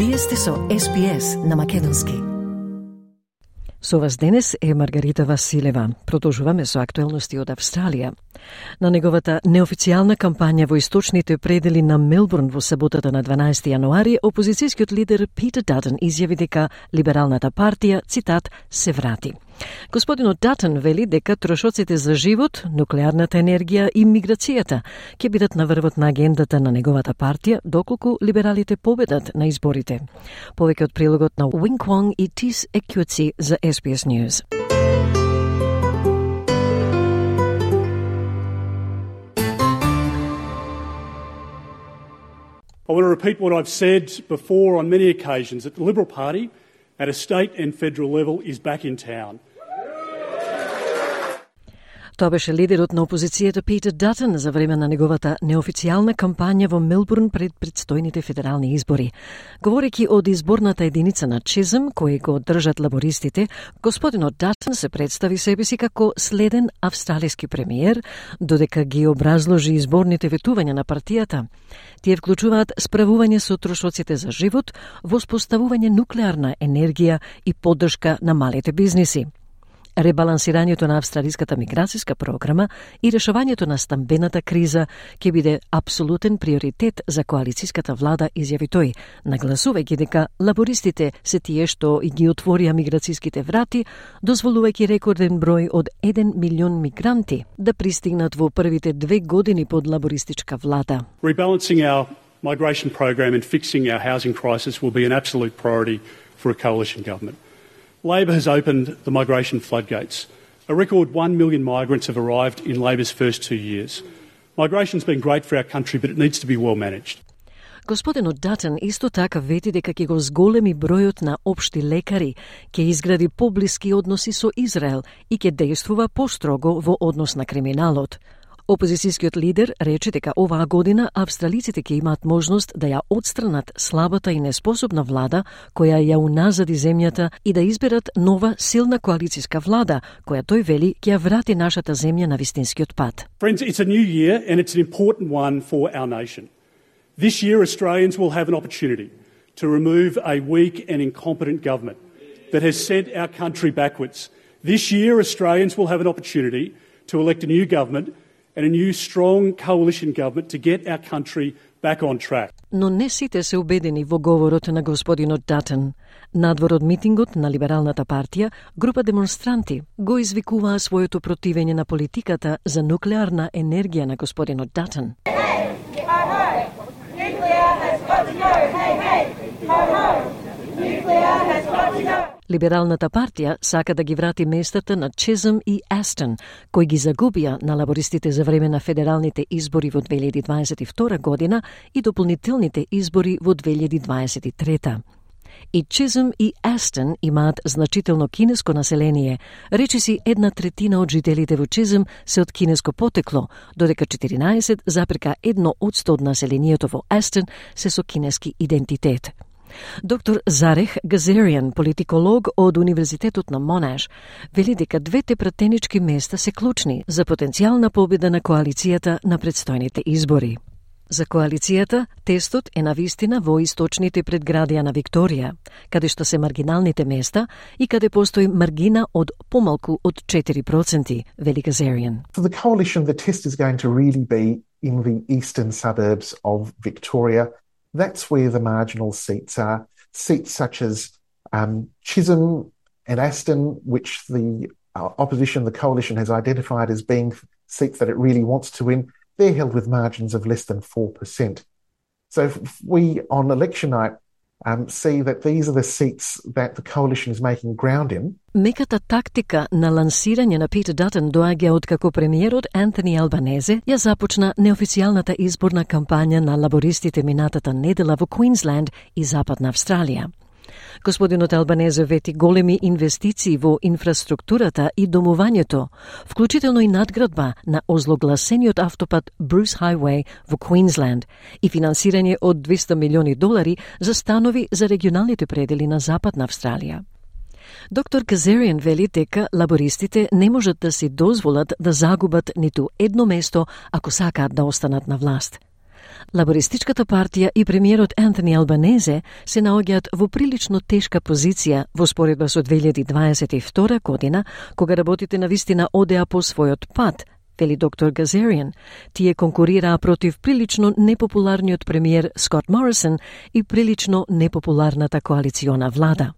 Вие сте со SPS на Македонски. Со вас денес е Маргарита Василева. Продолжуваме со актуелности од Австралија. На неговата неофицијална кампања во источните предели на Мелбурн во саботата на 12 јануари, опозицијскиот лидер Питер Датон изјави дека Либералната партија, цитат, се врати. Господинот Датон вели дека трошоците за живот, нуклеарната енергија и миграцијата ќе бидат на врвот на агендата на неговата партија доколку либералите победат на изборите. Повеќе од прилогот на Wing Kwong и Тис Екјуци за SBS News. I want to repeat what I've said before on many occasions, that the Liberal Party at a state and federal level is back in town. Тоа беше лидерот на опозицијата Питер Датон за време на неговата неофицијална кампања во Мелбурн пред предстојните федерални избори. Говорејќи од изборната единица на Чизъм, кој го држат лабористите, господинот Датон се представи себе си како следен австралиски премиер, додека ги образложи изборните ветувања на партијата. Тие вклучуваат справување со трошоците за живот, воспоставување нуклеарна енергија и поддршка на малите бизниси, ребалансирањето на австралиската миграцијска програма и решавањето на стамбената криза ќе биде апсолутен приоритет за коалицијската влада, изјави тој, нагласувајќи дека лабористите се тие што и ги отворија миграцијските врати, дозволувајќи рекорден број од 1 милион мигранти да пристигнат во првите 2 години под лабористичка влада. Rebalancing our migration program and fixing our housing crisis will be an absolute priority for a coalition government. Labor has opened the migration floodgates. A record 1 million migrants have arrived in Labor's first 2 years. Migration's been great for our country, but it needs to be well managed. Господинот Датон исто така вети дека ќе го зголеми бројот на општи лекари, ќе изгради поблиски односи со Израел и ќе действува построго во однос на криминалот. Опозицијскиот лидер рече дека оваа година австралиците ќе имаат можност да ја отстранат слабата и неспособна влада која ја уназади земјата и да изберат нова силна коалицијска влада, која тој вели ќе ја врати нашата земја на вистинскиот пат. Friends, it's a new year and it's an important one for our nation. This year Australians will have an opportunity to remove a weak and incompetent government that has sent our country backwards. This year Australians will have an opportunity to elect a new government and a new strong coalition government to get our country back on track. Но не сите се убедени во говорот на господинот Датон. Надвор од митингот на Либералната партија, група демонстранти го извикуваа своето противење на политиката за нуклеарна енергија на господинот Датон. Либералната партија сака да ги врати местата на Чизъм и Астон, кои ги загубија на лабористите за време на федералните избори во 2022 година и дополнителните избори во 2023. И Чизъм и Астон имаат значително кинеско население. Речиси 1/3 од жителите во Чизъм се од кинеско потекло, додека 14,1% од населението во Астон се со кинески идентитет. Доктор Зарех Газариан, политиколог од Универзитетот на Монаш, вели дека двете пратенички места се клучни за потенцијална победа на коалицијата на предстојните избори. За коалицијата, тестот е навистина во источните предградија на Викторија, каде што се маргиналните места и каде постои маргина од помалку од 4%, вели Газариан. For the coalition, the test is going to really be in the eastern suburbs of Victoria. That's where the marginal seats are. Seats such as Chisholm and Aston, which the opposition, the coalition, has identified as being seats that it really wants to win. They're held with margins of less than 4%. So if we, on election night, see that these are the seats that the coalition is making ground in. Меката тактика на лансирање на Питер Датон доаѓа од како премиерот Антони Албанезе ја започна неофицијалната изборна кампања на лабористите минатата недела во Квинсленд и Западна Австралија. Господинот Албанезе вети големи инвестиции во инфраструктурата и домувањето, вклучително и надградба на озлогласениот автопат Bruce Highway во Квинсленд и финансирање од $200 милиони за станови за регионалните предели на Западна Австралија. Доктор Газариан вели дека лабористите не можат да си дозволат да загубат ниту едно место ако сакаат да останат на власт. Лабористичката партија и премиерот Антони Албанезе се наоѓаат во прилично тешка позиција во споредба со 2022 година, кога работите на вистина одеа по својот пат, вели доктор Газариан. Тие конкурираа против прилично непопуларниот премиер Скот Морисон и прилично непопуларната коалициона влада.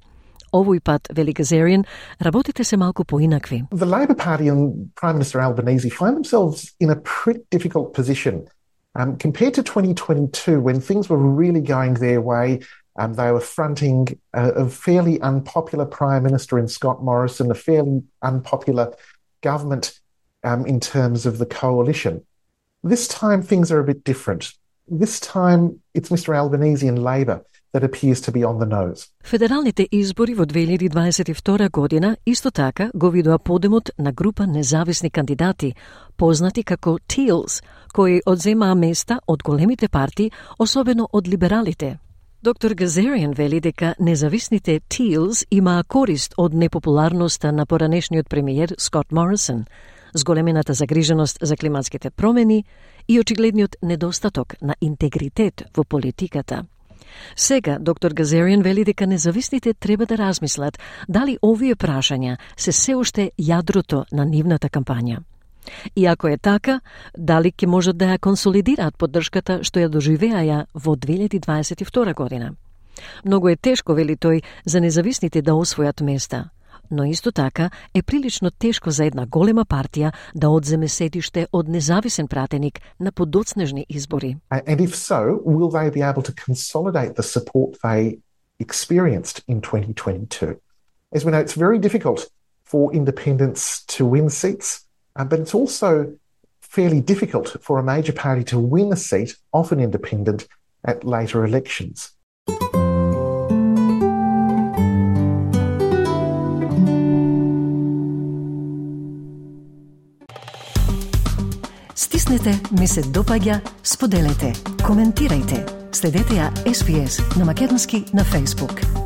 Овој пат, вели Газариан, работите се малку поинакви. The Labor Party and Prime Minister Albanese find themselves in a pretty difficult position. Compared to 2022, when things were really going their way, they were fronting a fairly unpopular Prime Minister in Scott Morrison, a fairly unpopular government in terms of the coalition. This time, things are a bit different. This time, it's Mr Albanese and Labor that appears to be on the nose. Федералните избори во 2022 година исто така го видоа подемот на група независни кандидати, познати како Teals, кои одземаа места од големите партии, особено од либералите. Доктор Газариан вели дека независните Teals имаа корист од непопуларноста на поранешниот премиер Скот Морисон, зголемената загриженост за климатските промени и очигледниот недостаток на интегритет во политиката. Сега, доктор Газариан вели дека независните треба да размислат дали овие прашања се уште јадрото на нивната кампања. И ако е така, дали ќе можат да ја консолидираат поддршката што ја доживеаја во 2022 година. Многу е тешко, вели тој, за независните да освојат места, но исто така е прилично тешко за една голема партија да одземе седиште од независен пратеник на подоцнежни избори. And if so, will they be able to consolidate the support they experienced in 2022? As we know, it's very difficult for independents to win seats, but it's also fairly difficult for a major party to win a seat, often independent, at later elections. Стиснете, ми се допаѓа, споделете, коментирајте. Следете ја SPS на македонски на Facebook.